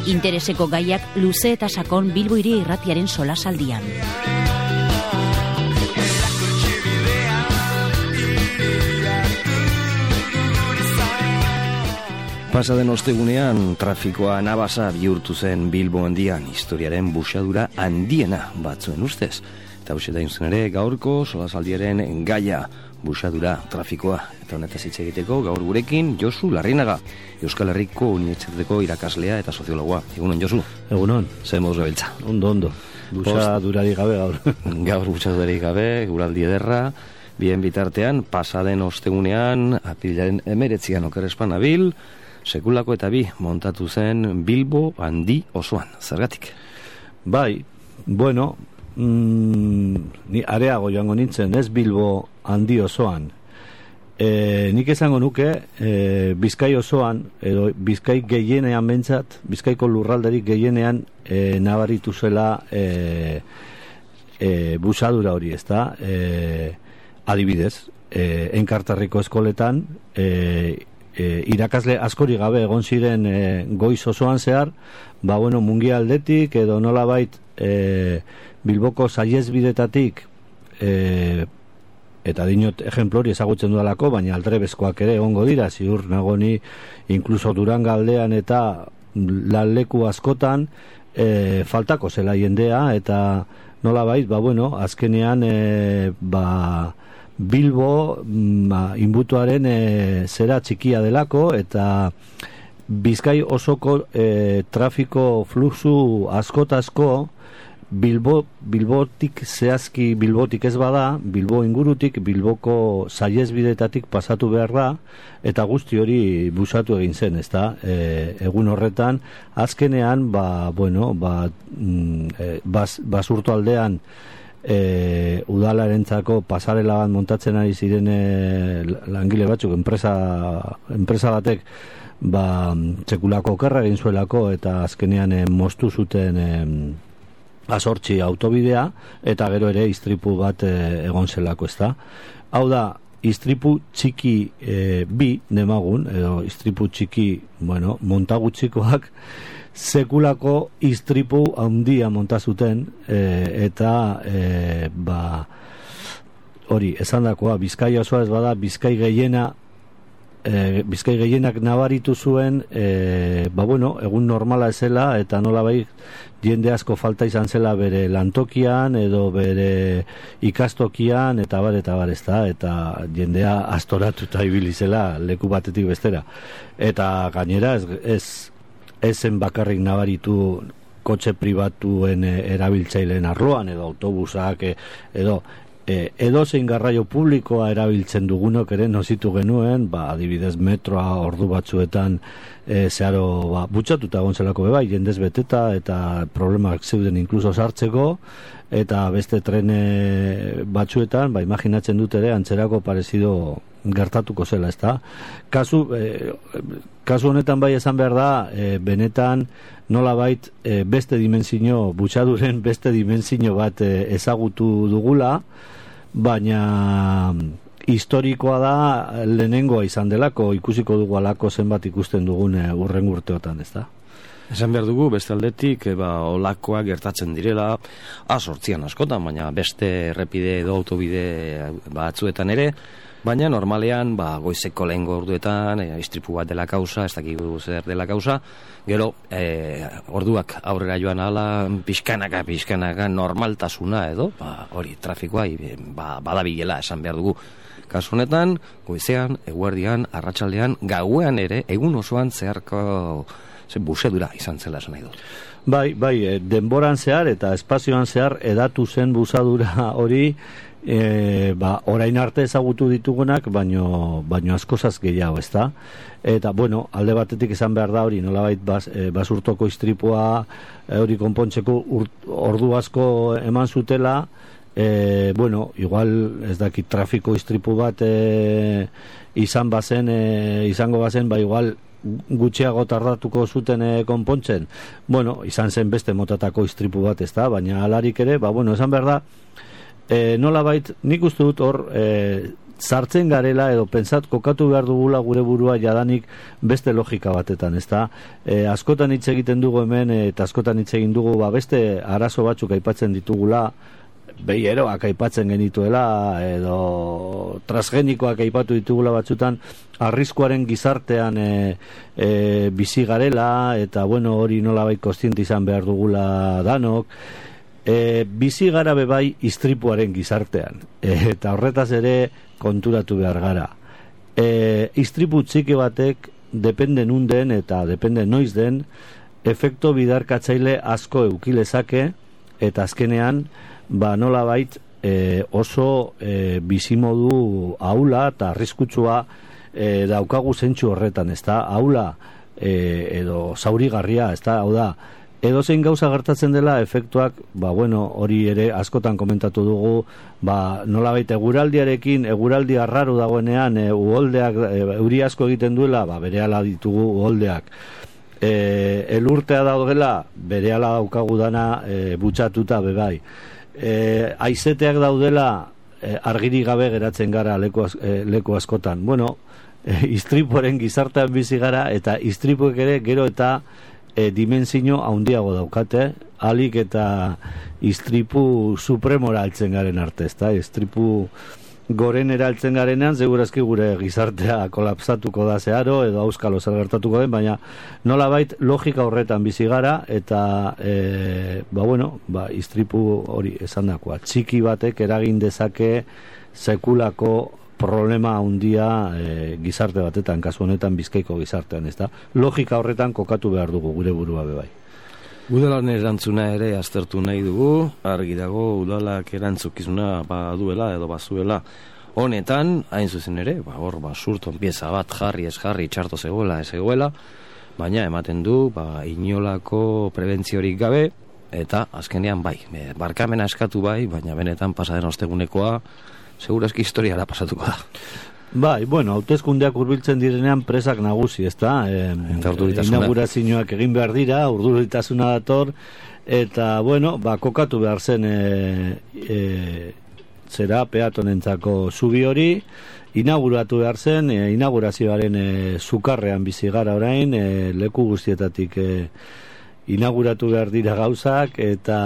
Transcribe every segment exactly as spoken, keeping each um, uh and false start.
Intereseko gaiak luze eta sakon Bilbo Hiri Irratiaren solasaldian. Pasaden ostegunean trafikoa nabasa bihurtu zen Bilbo handian, historiaren buxadura handiena batzuen ustez. Eta hauxe da inzen ere gaurko solasaldiaren gaia, buxadura, trafikoa. Eta honetaz hitz egiteko gaur gurekin Josu Larrinaga, Euskal Herriko Unibertsitateko irakaslea eta soziologoa. Egunon, Josu? Egunon. Zer moduz gabiltza? Ondo, ondo. Buxadurari gabe gaur. Gaur buxadurari gabe, guraldi ederra. Bien bitartean, pasaden ostegunean, apirilaren emeretzian okerespan abil, sekulako eta bi montatu zen Bilbo handi osoan. Zergatik? Bai, bueno, mm, ni areago joango nintzen, ez Bilbo handi osoan. E, nik esango nuke, e, Bizkai osoan, edo Bizkai gehienean bentsat, Bizkaiko lurralderik gehienean e, nabaritu zela e, e, busadura hori, ezta? E, adibidez, e, Enkarterriko eskoletan, e, E, irakasle askori gabe egon ziren e, goiz osoan zehar, ba bueno, mungialdetik edo nolabait e, Bilboko saihesbidetatik e, eta dinot ejemplo hori ezagutzen dudalako, baina aldrebezkoak ere egongo dira, ziur nagoni inkluso Duranga aldean eta lanleku askotan e, faltako zela jendea, eta nolabait, ba bueno, azkenean e, ba Bilbo ba, inbutuaren e, zera txikia delako, eta Bizkai osoko e, trafiko fluxu askotazko Bilbo, Bilbotik zehazki Bilbotik ez bada, Bilbo ingurutik, Bilboko saihesbidetatik pasatu behar da, eta guzti hori busatu egin zen, ezta? E, egun horretan, azkenean, ba, bueno, ba, e, bas, basurto aldean, E, udalarentzako pasarela bat montatzen ari ziren e, langile batzuk, enpresa, enpresa batek ba, txekulako okerra egin zuelako, eta azkenean e, moztu zuten e, azortzi autobidea, eta gero ere istripu bat e, egon zelako, ezta? Hau da, istripu txiki e, bi demagun, edo istripu txiki, bueno, montagutxikoak, sekulako istripu handia monta zuten, e, eta e, ba hori, esandakoa, Bizkai osoa ez bada, Bizkai gehiena e, Bizkai gehienak nabaritu zuen, e, ba bueno, egun normala ezela, eta nolabait jende asko falta izan zela bere lantokian edo bere ikastokian, eta bar, eta bar, ezta, eta jendea astoratuta ibili zela leku batetik bestera, eta gainera ez, ez ezen bakarrik nabaritu kotxe pribatuen erabiltzaileen arloan, edo autobusak, edo e, edo zein garraio publikoa erabiltzen dugunok ere nozitu genuen, ba, adibidez metroa ordu batzuetan e, zeharo ba, butxatuta gonzelako bebai, jendez beteta, eta problemak zeuden inkluso sartzeko, eta beste trene batzuetan, ba, imaginatzen dut ere, antzerako parezido gertatuko zela, ezta? Kasu, e, kasu honetan bai esan behar da, e, benetan nolabait e, beste dimensio, butxaduren beste dimensio bat e, ezagutu dugula, baina historikoa da lehenengoa izan delako, ikusiko dugu alako zenbat ikusten dugun e, urren urteotan, ezta? Esan behar dugu, beste aldetik, ba, olakoak gertatzen direla, azortzian askotan, baina beste errepide edo autobide batzuetan ere, baina normalean, ba, goizeko lehengo orduetan, e, istripu bat dela kausa, ez dakigu zer dela kausa, gero, e, orduak aurrera joan ala, pixkanaka, pixkanaka, normaltasuna edo, ba, hori, trafikoa, ba, badabilela, esan behar dugu. Kasu honetan, goizean, eguerdian, arratsaldean, gauean ere, egun osoan zeharko zen busedura izan zela esan nahi dut. Bai, bai, denboran zehar eta espazioan zehar edatu zen busadura hori, e, ba, orain arte ezagutu ditugunak, baino, baino askozaz gehiago, ezta? Eta, bueno, alde batetik izan behar da hori, nolabait bas, e, basurtoko istripua hori konpontzeko ordu asko eman zutela, e, bueno, igual ez dakit trafiko istripu bat e, izan bazen, e, izango bazen, ba igual gutxiago tardatuko zuten e, konpontzen. Bueno, izan zen beste motatako istripu bat, ez da, baina alarik ere, ba, bueno, esan behar da, e, nolabait, nik uste dut hor, e, sartzen garela edo pentsat kokatu behar dugula gure burua jadanik beste logika batetan, ezta? E, askotan hitz egiten dugu hemen eta askotan hitz egin dugu ba, beste arazo batzuk aipatzen ditugula, behieroak aipatzen genituela edo transgenikoak aipatu ditugula batzutan, arriskuaren gizartean e, e, bizi garela eta bueno, hori nolabait kontziente izan behar dugula danok. E, bizi gara bebai istripuaren gizartean e, eta horretaz ere konturatu behar gara. E, istripu txiki batek depende nun den eta depende noiz den efekto bidarkatzaile asko eukilezake eta azkenean ba nolabait e, oso e, bizimodu ahula eta arriskutsua e, daukagu zentsu horretan, ezta? Ahula e, edo zaurigarria, ezta? Hau da, edozein gauza gertatzen dela efektuak, ba bueno, hori ere askotan komentatu dugu, ba nolabait eguraldiarekin, eguraldi arraro dagoenean, e, uholdeak e, euri asko egiten duela, ba berehala ditugu uholdeak. E, elurtea daudela, berehala daukagu dana e, butxatuta bebai. E, aizeteak daudela, e, argirik gabe geratzen gara leku, e, leku askotan. Bueno, e, istripuaren gizartean bizi gara eta istripuek ere gero eta E, dimensio handiago daukate, alik eta istripu supremora altzen garen arte, ezta? Istripu goren eraltzen garenean, segurazki gure gizartea kolapsatuko da zeharo, edo auskalo zer gertatuko den, baina nolabait logika horretan bizi gara, eta e, ba bueno, ba, istripu hori esandakoa, txiki batek eragin dezake sekulako problema handia e, gizarte batetan, kasu honetan Bizkaiko gizartean, ezta? Logika horretan kokatu behar dugu gure burua bebai. Udalaren erantzuna ere aztertu nahi dugu, argi dago udalak erantzukizuna baduela edo bazuela. Honetan, hain zuzen ere, ba, hor, ba, surton pieza bat jarri ez jarri txarto zegoela ez zegoela, baina ematen du, ba, inolako prebentziorik gabe, eta azkenean bai, barkamena eskatu bai, baina benetan pasaden ostegunekoa, segurazki historiara pasatuko da. Bai, bueno, hauteskundeak hurbiltzen direnean presak nagusi, ezta? E, inaugurazioak egin behar dira, urduritasuna dator, eta, bueno, ba, kokatu behar zen e, e, zera peatonentzako zubi hori, inauguratu behar zen, e, inaugurazioaren e, sukarrean bizi gara orain, e, leku guztietatik e, inauguratu behar dira gauzak, eta...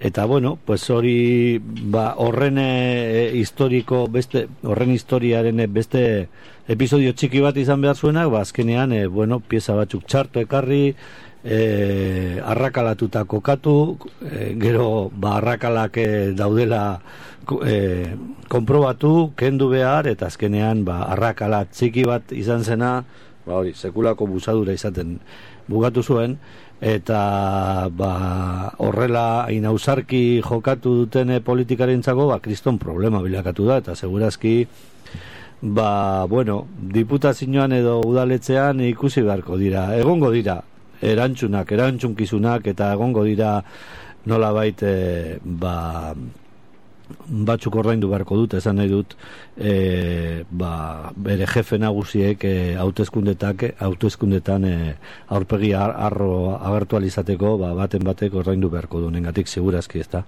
Eta bueno, pues hori ba, horren e, historiko beste horren historiaren beste episodio txiki bat izan behar zuenak, ba azkenean e, bueno, pieza batzuk txarto ekarri, e, arrakalatuta kokatu, e, gero ba arrakalak e, daudela e, konprobatu, kendu behar eta azkenean ba arrakala txiki bat izan zena, ba hori, sekulako busadura izaten bugatu zuen. Eta ba, horrela inausarki jokatu duten politikarentzako ba, kriston problema bilakatu da, eta segurazki ba, bueno, diputazioan edo udaletzean ikusi beharko dira, egongo dira erantzunak, erantzunkizunak, eta egongo dira nolabait e, ba, batzuk ordaindu beharko dut, esan nahi dut e, ba, bere jefe nagusiek e, hauteskundetak hauteskundetan e, aurpegi arro agertu alizateko ba, baten batek ordaindu beharko du, nengatik segurazki, ezta?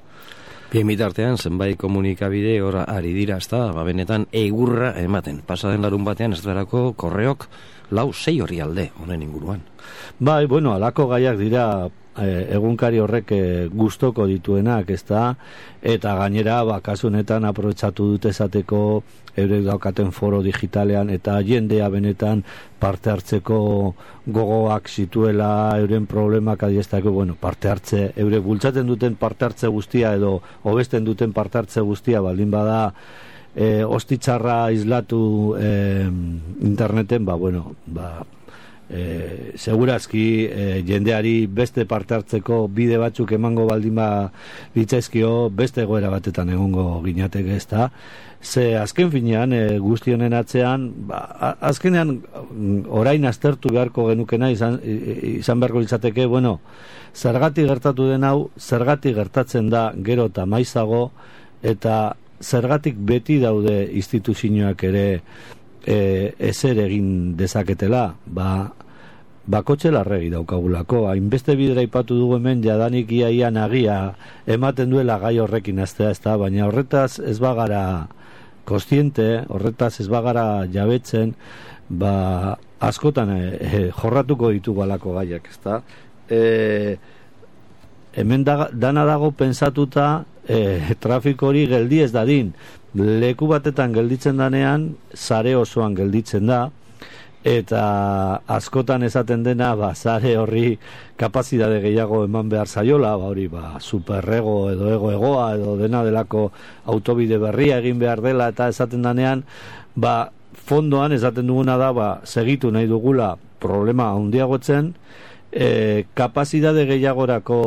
Bien bitartean, zenbait komunikabide hor ari dira, ezta? Ba, benetan egurra ematen. Pasaden larun batean ez darako korreok lau sei hori alde, honen inguruan. Bai, bueno, alako gaiak dira E, egunkari horrek e, gustoko dituenak, ezta? Eta gainera, ba, kasu honetan aprobetxatu dute esateko eurek daukaten foro digitalean eta jendea benetan parte hartzeko gogoak zituela, euren problemak adiestako, bueno, parte hartze, eurek bultzaten duten parte hartze guztia edo hobesten duten parte hartze guztia baldin bada e, ostitzarra islatu e, interneten, ba, bueno, ba, E, segurazki e, jendeari beste parte hartzeko bide batzuk emango baldin ba ditzaizkio beste egoera batetan egongo ginateke, ezta? Ze azken finean e, guzti honen atzean ba, azkenean orain aztertu beharko genukena izan, izan beharko litzateke, bueno, zergatik gertatu den hau, zergatik gertatzen da gero eta maizago, eta zergatik beti daude instituzioak ere E, ezer egin dezaketela, ba, bakotxe larregi daukagulako, hainbeste bidera ipatu dugu hemen jadanik iaia nagia ematen duela gai horrekin aztea, ezta, baina horretaz ez bagara kostiente, horretaz ez bagara jabetzen, ba, askotan e, e, jorratuko ditugu alako gaiak, ezta? E, hemen da, dana dago pensatuta e, trafiko hori geldi ez dadin. Leku batetan gelditzen danean, sare osoan gelditzen da, eta askotan esaten dena, ba, sare horri kapazidade gehiago eman behar zaiola, ba, hori, ba, superrego edo ego egoa edo dena delako autobide berria egin behar dela, eta esaten danean, ba, fondoan esaten duguna da, ba, segitu nahi dugula problema handiagotzen, e, kapazidade gehiagorako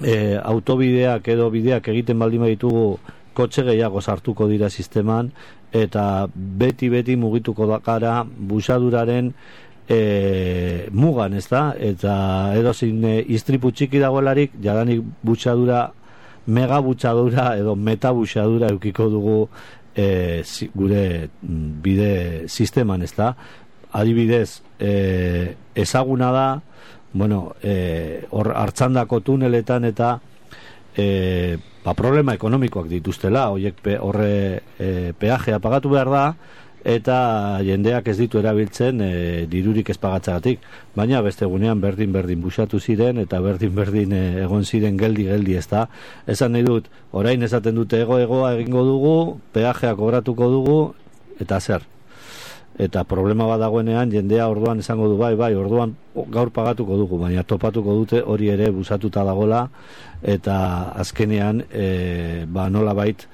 e, autobideak edo bideak egiten baldin baditugu kotxe gehiago sartuko dira sisteman, eta beti-beti mugituko da gara busaduraren e, mugan, ez da? Eta edozin e, istripu txiki dagoelarik, jadanik busadura, mega busadura edo meta busadura eukiko dugu e, zi, gure bide sisteman, ez da? Adibidez, e, ezaguna da, bueno, e, hor hartzandako tuneletan eta e, ba, problema ekonomikoak dituztela, horiek pe, horre e, peajea pagatu behar da, eta jendeak ez ditu erabiltzen e, dirurik ez pagatzagatik, baina beste egunean berdin-berdin busatu ziren, eta berdin-berdin e, egon ziren geldi-geldi, ez da. Esan nahi dut, orain esaten dute ego-egoa egingo dugu, peajea kobratuko dugu, eta zer. Eta problema bat dagoenean, jendea orduan esango du, bai, bai, orduan gaur pagatuko dugu, baina topatuko dute hori ere busatuta dagola, eta azkenean, e, ba, nola bait,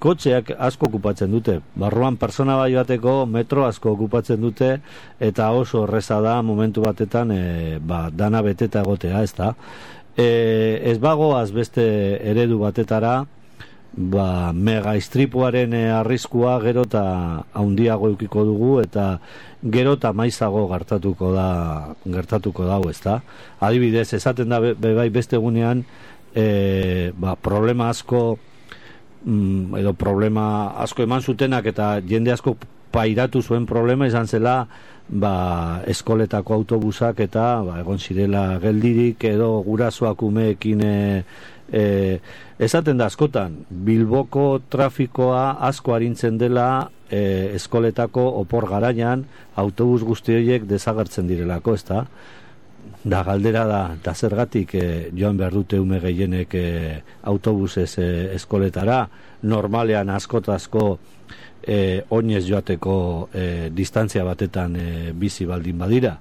kotxeak asko okupatzen dute. Barruan persona bai bateko metro asko okupatzen dute, eta oso horreza da momentu batetan, e, ba, dana beteta egotea, ez da. E, ez bagoaz beste eredu batetara, ba, mega istripuaren e, arriskua gero eta haundiago eukiko dugu, eta gero eta maizago gertatuko da, gertatuko dago, ez da. Adibidez, esaten da be, be, bai beste egunean, e, ba, problema asko mm, edo problema asko eman zutenak eta jende asko pairatu zuen problema izan zela, ba, eskoletako autobusak eta ba, egon zirela geldirik edo gurasoak umeekin e, e, esaten da askotan Bilboko trafikoa asko arintzen dela e, eskoletako opor garaian autobus guzti horiek desagertzen direlako, ezta? Da galdera da, da zergatik e, joan behar dute ume gehienek e, autobusez e, eskoletara, normalean askotazko e, oinez joateko e, distantzia batetan e, bizi baldin badira.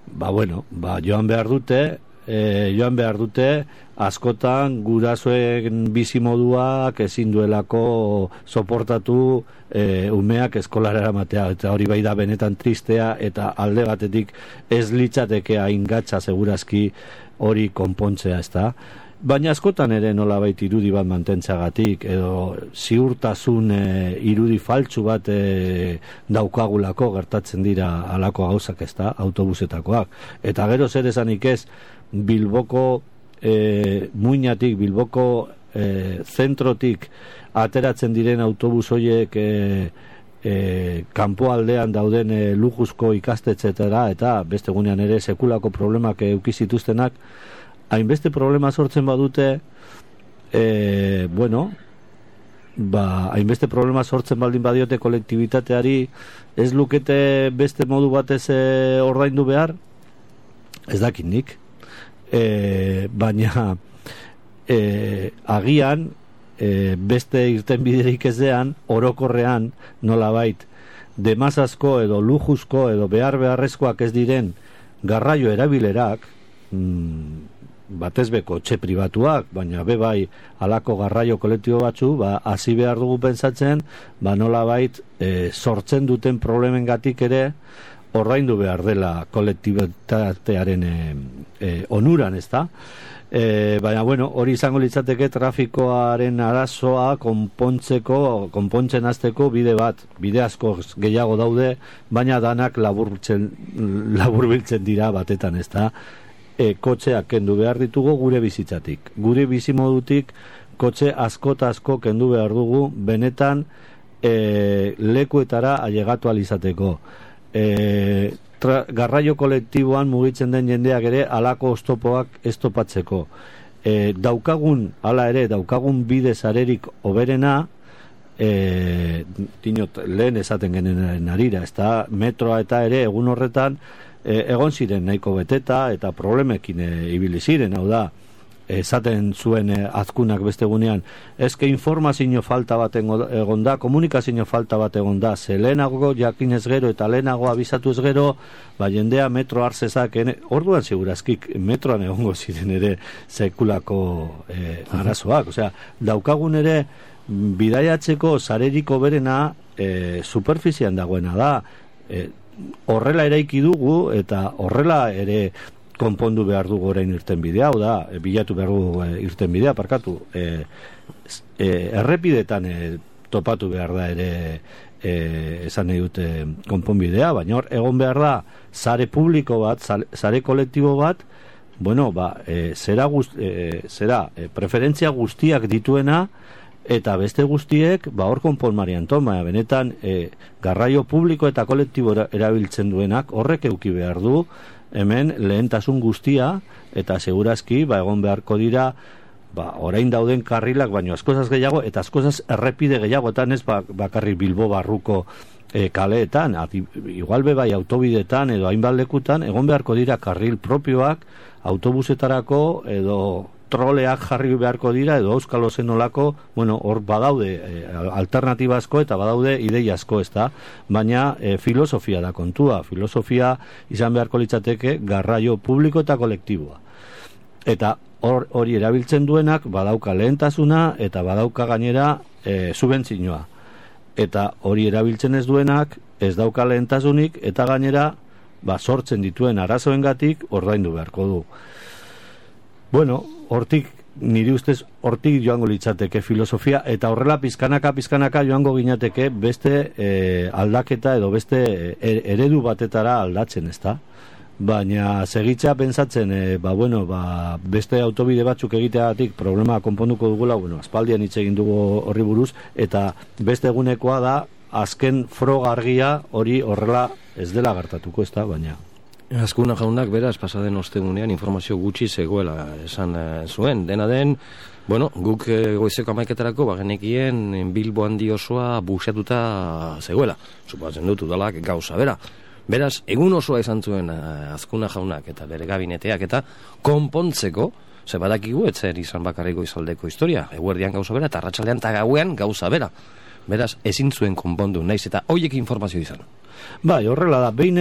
Ba bueno, ba joan behar dute, e, joan behar dute askotan gurasoen bizi moduak ezin duelako soportatu e, umeak eskolara eramatea, eta hori bai da benetan tristea, eta alde batetik ez litzateke hain gatza segurazki hori konpontzea, ezta? Baina askotan ere nolabait irudi bat mantentzagatik edo ziurtasun e, irudi faltsu bat e, daukagulako gertatzen dira halako gauzak, ezta, autobusetakoak. Eta gero zer esanik ez, Bilboko e, muinatik, Bilboko e, zentrotik ateratzen diren autobus horiek e, e, kanpoaldean dauden e, lujuzko ikastetxetara, eta beste gunean ere sekulako problemak eukizituztenak, hainbeste problema sortzen badute, e, bueno, ba, hainbeste problema sortzen baldin badiote kolektibitateari, ez lukete beste modu batez e, ordaindu behar? Ez dakit nik. E, baina e, agian e, beste irten biderik ezean, orokorrean nolabait demazazko edo lujuzko edo behar beharrezkoak ez diren garraio erabilerak, mm, batez beko txe pribatuak, baina be bai alako garraio kolektibo batzu, ba, hasi behar dugu pentsatzen, ba nolabait e, sortzen duten problemengatik ere ordaindu behar dela kolektibitatearen e, e, onuran, ez da? E, baina, bueno, hori izango litzateke trafikoaren arazoa konpontzeko, konpontzen hasteko bide bat, bide asko gehiago daude, baina danak laburbiltzen, laburbiltzen dira batetan, ez da? E, kotxeak kendu behar ditugu gure bizitzatik. Gure bizimodutik kotxe asko eta asko kendu behar dugu, benetan e, lekuetara ailegatu alizateko. E, tra, garraio kolektiboan mugitzen den jendeak ere alako oztopoak ez topatzeko. E, daukagun, hala ere, daukagun bide sarerik oberena, e, dinot, lehen esaten genuen arira, ez da, metroa eta ere egun horretan e, egon ziren nahiko beteta eta problemekin e, ibili ziren, hau da, esaten zuen eh, azkunak beste gunean, ezke informazio falta bat egon da, komunikazio falta bat egon da, ze lehenago jakinez gero eta lehenago abizatuz gero, ba jendea metro hartzezak, orduan segurazkik metroan egongo ziren ere sekulako eh, arazoak, osea, daukagun ere bidaiatzeko sareriko berena eh, superfizian dagoena da, eh, horrela eraiki dugu eta horrela ere konpondu behar dugu orain irten bidea, hau da, bilatu behar dugu e, irten bidea, parkatu, e, e, errepidetan e, topatu behar da ere e, esan nahi dute konponbidea, baina hor, egon behar da, sare publiko bat, sare kolektibo bat, bueno, ba, e, zera, guzti, e, zera e, preferentzia guztiak dituena, eta beste guztiek, ba, hor konponmarian toma, benetan, e, garraio publiko eta kolektibo erabiltzen duenak, horrek euki behar du, hemen lehentasun guztia eta segurazki ba egon beharko dira ba orain dauden karrilak baino askozaz gehiago eta askozaz errepide gehiagotan ez ba, bakarrik Bilbo barruko e, kaleetan ati, igual be bai autobidetan edo hainbat lekutan egon beharko dira karril propioak autobusetarako edo troleak jarri beharko dira edo euskalo zenolako, bueno, hor badaude e, alternatiba asko eta badaude ideia asko, ez da, baina e, filosofia da kontua, filosofia izan beharko litzateke garraio publiko eta kolektiboa. Eta hor hori erabiltzen duenak badauka lehentasuna eta badauka gainera e, subentzioa. Eta hori erabiltzen ez duenak ez dauka lehentasunik eta gainera ba, sortzen dituen arazoengatik ordaindu beharko du. Bueno, hortik, niri ustez, hortik joango litzateke filosofia, eta horrela pizkanaka, pizkanaka joango ginateke beste e, aldaketa edo beste e, eredu batetara aldatzen, ezta? Baina segitza pentsatzen, e, ba, bueno, ba, beste autobide batzuk egiteagatik problema konponduko dugula, bueno, aspaldian hitz egin dugu horri buruz, eta beste egunekoa da, azken froga argia hori horrela ez dela gertatuko, ezta, baina... Azkuna jaunak beraz pasaden ostegunean informazio gutxi zegoela esan e, zuen. Dena den, bueno, guk e, goizeko amaiketarako bagenekien Bilbo handi osoa buxatuta zegoela. Supatzen dut udalak gauza bera. Beraz, egun osoa izan zuen e, Azkuna jaunak eta bere gabineteak eta konpontzeko, ze badakigu etzer izan bakarriko izaldeko historia. Eguerdian gauza bera eta arratsaldean eta gauean gauza bera. Beraz, ezin zuen konpondu, naiz eta hoiek informazio izan. Bai, horrela da, behin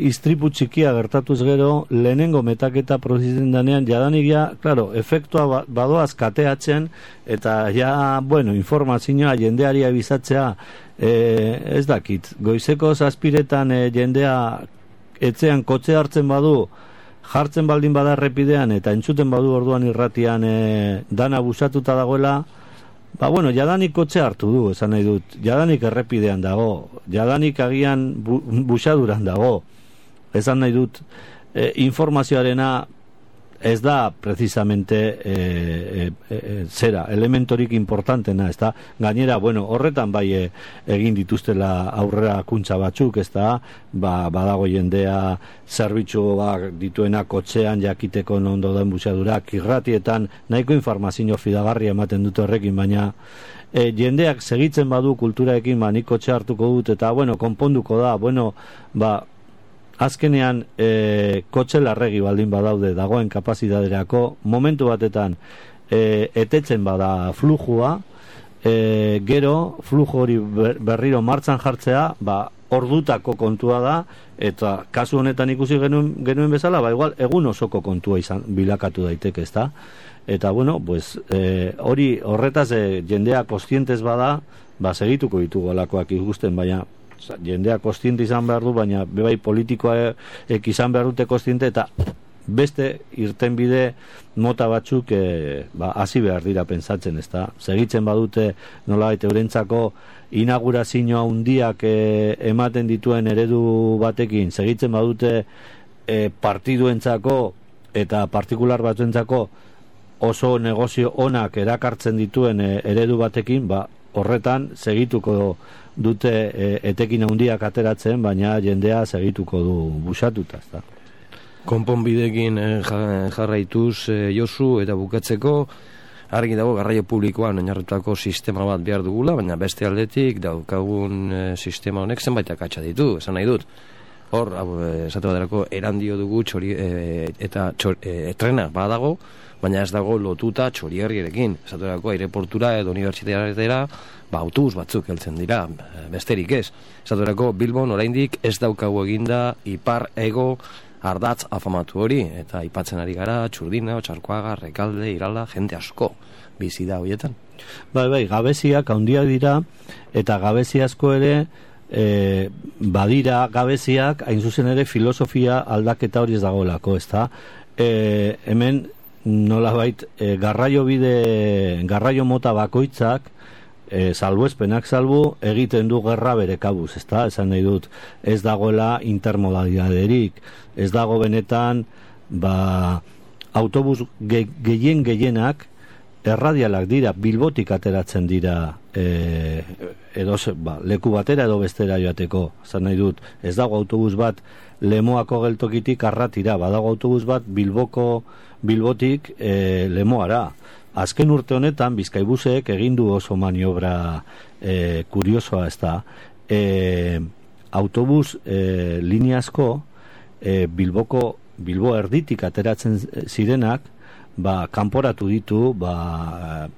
istripu txikia gertatuz gero, lehenengo metaketa prozisen danean, jadanik ja, claro, efektua badoaz kateatzen, eta ja, bueno, informazioa jendeari abizatzea, e, ez dakit, goizeko zazpiretan e, jendea etzean kotxe hartzen badu, jartzen baldin bada errepidean, eta entzuten badu orduan irratian e, dana busatuta dagoela, ba, bueno, jadanik kotxe hartu du, esan nahi dut. Jadanik errepidean dago, jadanik agian bu, busaduran dago. Esan nahi dut, e, informazioarena ez da precisamente e, e, e, zera, elementorik importantena, ez da. Gainera, bueno, horretan bai e, egin dituztela aurrera kuntza batzuk, ez da, ba, badago jendea zerbitzuak dituena kotxean jakiteko nondo den busadurak, irratietan nahiko informazio fidagarria ematen dute horrekin, baina e, jendeak segitzen badu kulturaekin, ba, nik kotxe hartuko dut, eta, bueno, konponduko da, bueno, ba, azkenean e, kotxe larregi baldin badaude dagoen kapazitaterako, momentu batetan e, etetzen bada flujua, e, gero flujo hori berriro martxan jartzea, ba, ordutako kontua da, eta kasu honetan ikusi genuen, genuen bezala, ba, igual egun osoko kontua izan bilakatu daiteke, ezta? Eta, bueno, pues, e, hori horretaz e, jendea kostientez bada, ba, segituko ditugu alakoak ikusten, baina jendea kostiente izan behar du, baina bebai politikoak izan behar dute kostiente, eta beste irtenbide mota batzuk e, ba, hasi behar dira pentsatzen, ezta? Segitzen badute nolabait eurentzako inaugurazioa handiak e, ematen dituen eredu batekin, segitzen badute e, partiduentzako eta partikular batzuentzako oso negozio onak erakartzen dituen e, eredu batekin, ba, horretan segituko dute e, etekin handiak ateratzen, baina jendea segituko du busatuta, ezta. Konponbidekin jarraituz e, Josu, eta bukatzeko argi dago garraio publikoan oinarritutako sistema bat behar dugula, baina beste aldetik daukagun e, sistema honek zenbait akatsa ditu, esan nahi dut. Hor, esate baterako, erandio dugu txori, e, eta txor, e, trena badago, baina ez dago lotuta Txorierriekin. Esate baterako, aireportura edo unibertsitateara, ba, autobus batzuk heltzen dira, besterik ez. Esate baterako, Bilbon oraindik ez daukagu eginda ipar ego ardatz afamatu hori, eta aipatzen ari gara, Txurdina, Otxarkoaga, Rekalde, Irala, jende asko bizi da horietan. Bai, bai, gabeziak handiak dira, eta gabezi asko ere, e, badira gabeziak, hain zuzen ere filosofia aldaketa hori ez dagoelako, ez da? E, hemen, nolabait, e, garraio bide, garraio mota bakoitzak, E, salbuespenak salbu egiten du gerra bere kabuz, ezta? Esan nahi dut, ez dagoela intermodalidaderik, ez dago benetan, ba, autobus ge, gehien gehienak erradialak dira, Bilbotik ateratzen dira, e, edo, ba, leku batera edo bestera joateko, esan nahi dut, ez dago autobus bat Lemoako geltokitik Arratira, badago autobus bat Bilboko, Bilbotik e, Lemoara. Azken urte honetan Bizkaibusek egin du oso maniobra e, kuriosoa, ez da, e, autobus e, lineazko e, Bilboko, Bilbo erditik ateratzen zirenak, ba, kanporatu ditu, ba,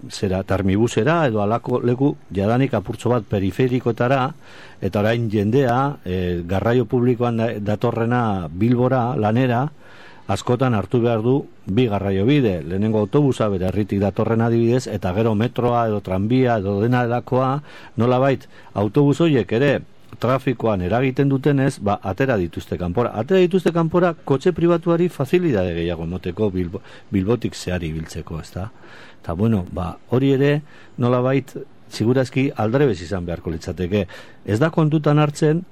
zera, termibusera edo alako leku jadanik apurtzo bat periferikotara, eta orain jendea e, garraio publikoan datorrena Bilbora, lanera, askotan hartu behar du bi garraio bide, lehenengo autobusa bere herritik datorren adibidez, eta gero metroa edo tranbia edo dena delakoa, nolabait autobus horiek ere trafikoan eragiten dutenez, ba, atera dituzte kanpora. Atera dituzte kanpora kotxe pribatuari facilidade gehiago emoteko Bilbo, Bilbotik zehari biltzeko, ez da? Eta bueno, ba, hori ere nolabait segurazki aldrebez izan beharko litzateke. Ez da kontutan hartzen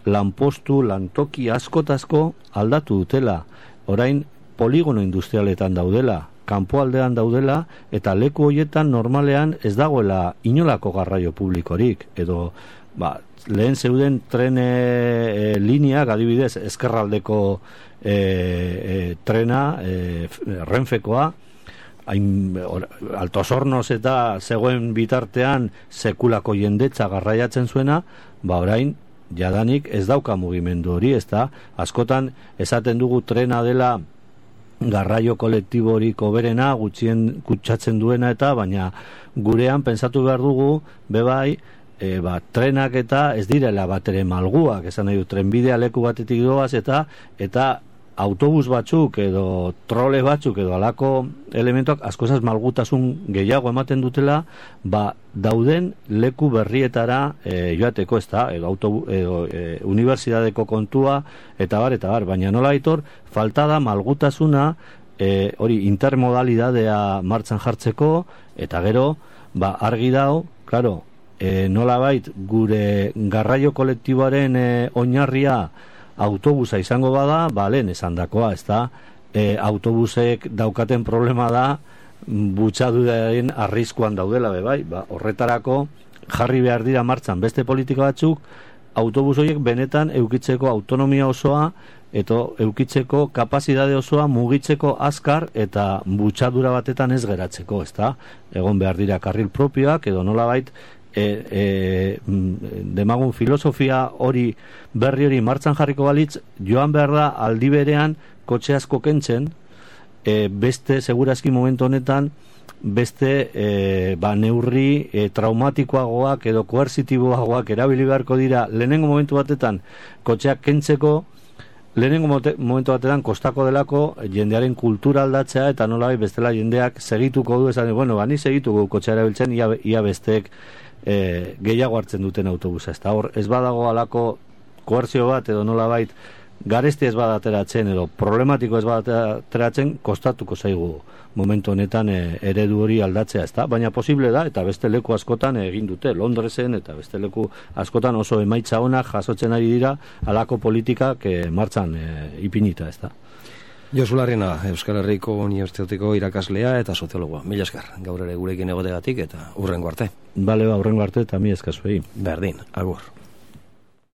lanpostu, lantoki askotazko aldatu dutela. Orain poligono industrialetan daudela, kanpoaldean daudela, eta leku horietan normalean ez dagoela inolako garraio publikorik, edo ba, lehen zeuden tren e, lineak, adibidez, ezkerraldeko e, e, trena, e, Renfekoa, hain, or, Altos Hornos eta zegoen bitartean sekulako jendetza garraiatzen zuena, ba orain, jadanik ez dauka mugimendu hori, ez da? Askotan esaten dugu trena dela garraio kolektiborik hoberena, gutxien kutsatzen duena eta, baina gurean pentsatu behar dugu, bebai, e, ba, trenak eta ez direla bat ere malguak, esan nahi du, trenbidea leku batetik doaz eta eta autobus batzuk edo trole batzuk edo alako elementuak askozaz malgutasun gehiago ematen dutela, ba, dauden leku berrietara e, joateko, ez da, edo, autobu, edo e, unibertsitateko kontua, eta bar, eta bar, baina nola aitor, falta da malgutasuna e, hori intermodalidadea martxan jartzeko, eta gero, ba, argi dao, claro, e, nola bait, gure garraio kolektiboaren e, oinarria autobusa izango bada, ba, lehen esan dakoa, ez da, e, autobusek daukaten problema da, butxaduraren arriskuan daudela, be bai, ba, horretarako jarri behar dira martxan beste politika batzuk, autobus horiek benetan eukitzeko autonomia osoa, eta eukitzeko kapazidade osoa mugitzeko azkar eta butxadura batetan ez geratzeko, ez da, egon behar dira karril propioak, edo nolabait, E, e, demagun filosofia hori berri hori martxan jarriko balitz, joan behar da aldi berean kotxe asko kentzen, e, beste segurazki momentu honetan beste e, ba, neurri e, traumatikoagoak edo koersitiboagoak erabili beharko dira lehenengo momentu batetan kotxeak kentzeko, lehenengo momentu batetan kostako delako jendearen kultura aldatzea, eta nolabait bestela jendeak segituko du, esan, bueno, bani segituko kotxea erabiltzen, ia, ia besteek E, gehiago hartzen duten autobusa, ez da, hor, ez badago alako koerzio bat, edo nolabait garesti ez badateratzen, edo problematiko ez badateratzen, kostatuko zaigu momentu honetan e, eredu hori aldatzea, ez da, baina posible da, eta beste leku askotan egin dute, Londresen, eta beste leku askotan oso emaitza onak jasotzen ari dira, alako politikak e, martxan e, ipinita, ez da. Josu Larrena, Euskal Herriko Unibertsitateko irakaslea eta soziologoa. Mila esker, gaur ere gurekin egotegatik eta hurrengo arte. Bale, ba, hurrengo arte eta mi eskazuei. Berdin, agur.